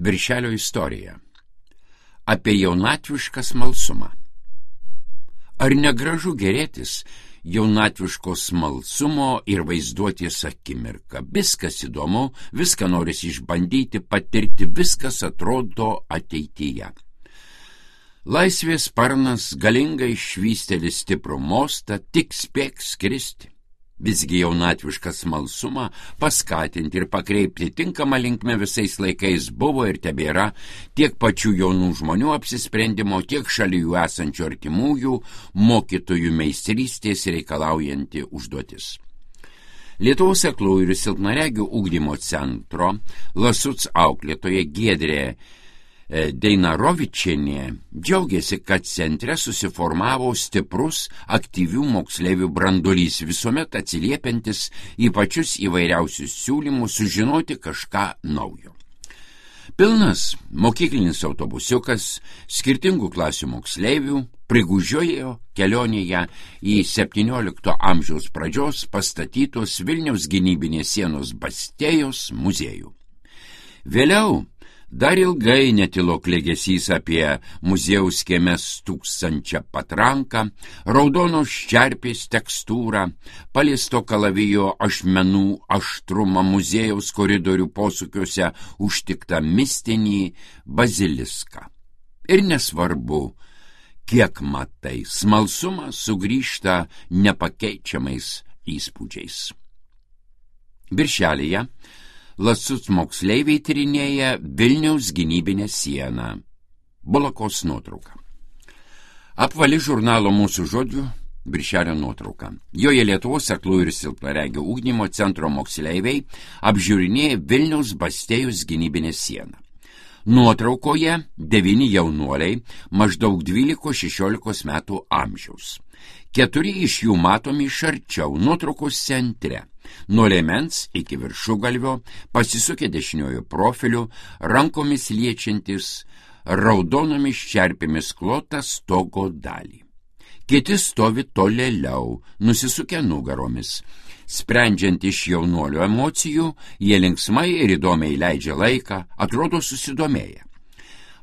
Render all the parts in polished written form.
Viršelio istorija. Apie jaunatvišką smalsumą. Ar negražu gerėtis jaunatviško smalsumo ir vaizduotės akimirką? Viskas įdomu, viską norisi išbandyti, patirti, viskas atrodo ateityje. Laisvės sparnas galingai švysteli stiprų mostą, tik spėk skristi. Visgi jaunatvišką smalsumą paskatinti ir pakreipti tinkamą linkmę visais laikais buvo ir tebėra tiek pačių jaunų žmonių apsisprendimo, tiek šalia jų esančių artimųjų mokytojų meistrystės reikalaujanti užduotis. Lietuvos aklųjų ir silpnaregių ugdymo centro Lasuc auklėtoja Giedrė Deinarovičienė džiaugiasi, kad centre susiformavo stiprus aktyvių moksleivių branduolys, visuomet atsiliepiantis į pačius įvairiausius siūlymus sužinoti kažką naujo. Pilnas mokyklinis autobusiukas skirtingų klasių moksleivių prigužiojo kelionėje į 17 amžiaus pradžios pastatytos Vilniaus gynybinės sienos Bastėjos muziejų. Vėliau dar ilgai netilo klegesys apie muziejaus kieme stūksančią patranką, raudonos čerpės tekstūrą, paliesto kalavijo ašmenų aštrumą, muziejaus koridorių posūkiuose užtiktą mistinį baziliską. Ir nesvarbu, kiek matai, smalsumas sugrįžta nepakeičiamais įspūdžiais. Viršelyje Lasuc moksleiviai tyrinėja Vilniaus gynybinę sieną. Bulakos nuotrauka. Apvali žurnalo Mūsų žodžių viršelio nuotrauka. Joje Lietuvos aklųjų ir silpnaregių ugdymo centro moksleiviai apžiūrinėja Vilniaus Bastėjos gynybinę sieną. Nuotraukoje 9 jaunuoliai maždaug 12-16 metų amžiaus. 4 iš jų matomi iš arčiau nuotraukos centre. Nuo liemens iki viršugalvio pasisukę dešiniojo profiliu, rankomis liečiantis raudonomis čerpėmis klotą stogo dalį. Kiti stovi tolėliau, nusisukę nugaromis. Sprendžiant iš jaunuolio emocijų, jie linksmai ir įdomiai leidžia laiką, atrodo susidomėję.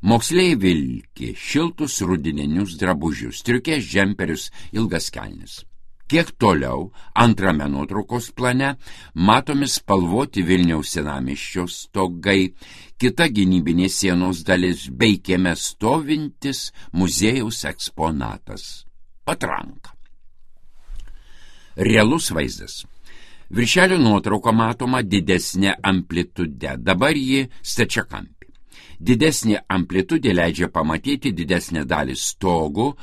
Moksleiviai vilki šiltus rudininius drabužius, striukės džemperius, ilgas kelnes. Kiek toliau, antrame nuotraukos plane, matomi spalvoti Vilniaus senamiesčio stogai, kita gynybinės sienos dalis bei kieme stovintis muziejaus eksponatas – patranka. Realus vaizdas. Viršelio nuotrauka matoma didesnė amplitude, dabar ji stačiakampė. Didesnė amplitudė leidžia pamatyti didesnę dalį stogų,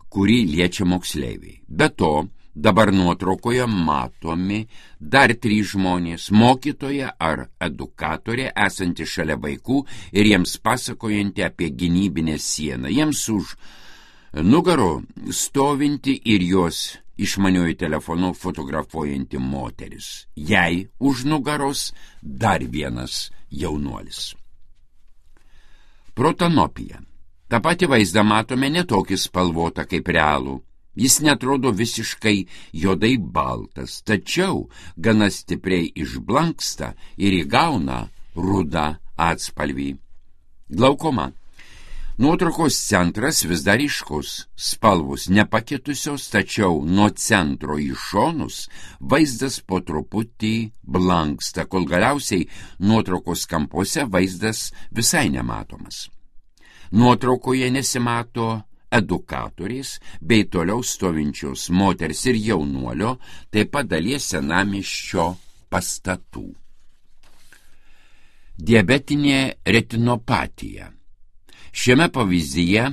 kurį liečia moksleiviai. Be to, dabar nuotraukoje matomi dar 3 žmonės, mokytoja ar edukatorė esanti šalia vaikų ir jiems pasakojanti apie gynybinę sieną. Jiems už nugaro stovinti ir jos išmaniuoju telefonu fotografuojanti moteris. Jai už nugaros dar vienas jaunuolis. Protanopija. Ta pati vaizdą matome netokį spalvotą kaip realų. Jis netrodo visiškai juodai baltas, tačiau gana stipriai išblanksta ir įgauna rudą atspalvį. Glaukoma. Nuotraukos centras vis dar ryškus, spalvos nepakitusios, tačiau nuo centro į šonus vaizdas po truputį blanksta, kol galiausiai nuotraukos kampuose vaizdas visai nematomas. Nuotraukoje nesimato edukatorės bei toliau stovinčios moters ir jaunuolio, taip pat dalies senamiesčio pastatų. Diabetinė retinopatija. Šiame pavyzdyje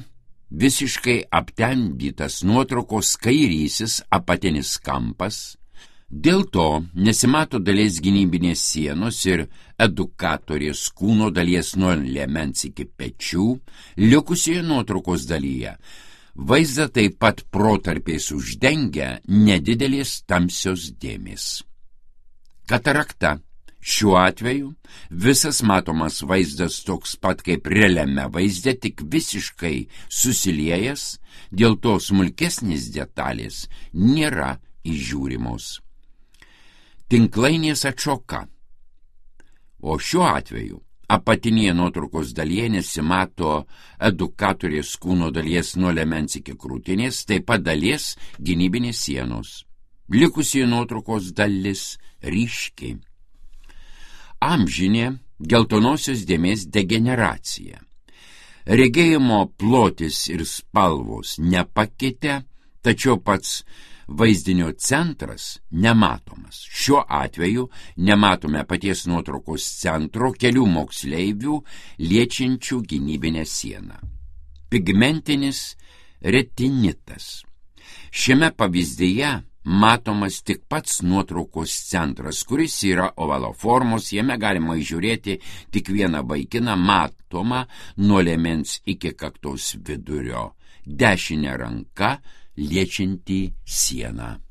visiškai aptemdytas nuotraukos kairysis apatinis kampas, dėl to nesimato dalies gynybinės sienos ir edukatorės kūno dalies nuo liemens iki pečių, likusioje nuotraukos dalyje. Vaizdą taip pat protarpiais uždengia nedidelės tamsios dėmės. Katarakta. Šiuo atveju visas matomas vaizdas toks pat kaip realiame vaizde, tik visiškai susiliejęs, dėl to smulkesnės detalės nėra įžiūrimos. Tinklainės atšoka. O šiuo atveju Apatinėje nuotraukos dalyje nesimato edukatorės kūno dalies nuo liemens iki krūtinės, taip pat dalies gynybinės sienos. Likusi nuotraukos dalis ryški. Amžinė geltonosios dėmės degeneracija. Regėjimo plotis ir spalvos nepakitę, tačiau pats vaizdinio centras nematomas. Šiuo atveju nematome paties nuotraukos centro kelių moksleivių liečiančių gynybinę sieną. Pigmentinis retinitas. Šiame pavyzdyje matomas tik pats nuotraukos centras, kuris yra ovalo formos, jame galima įžiūrėti tik vieną vaikiną, matomą nuo liemens iki kaktos vidurio, dešinė ranka liečianti sieną.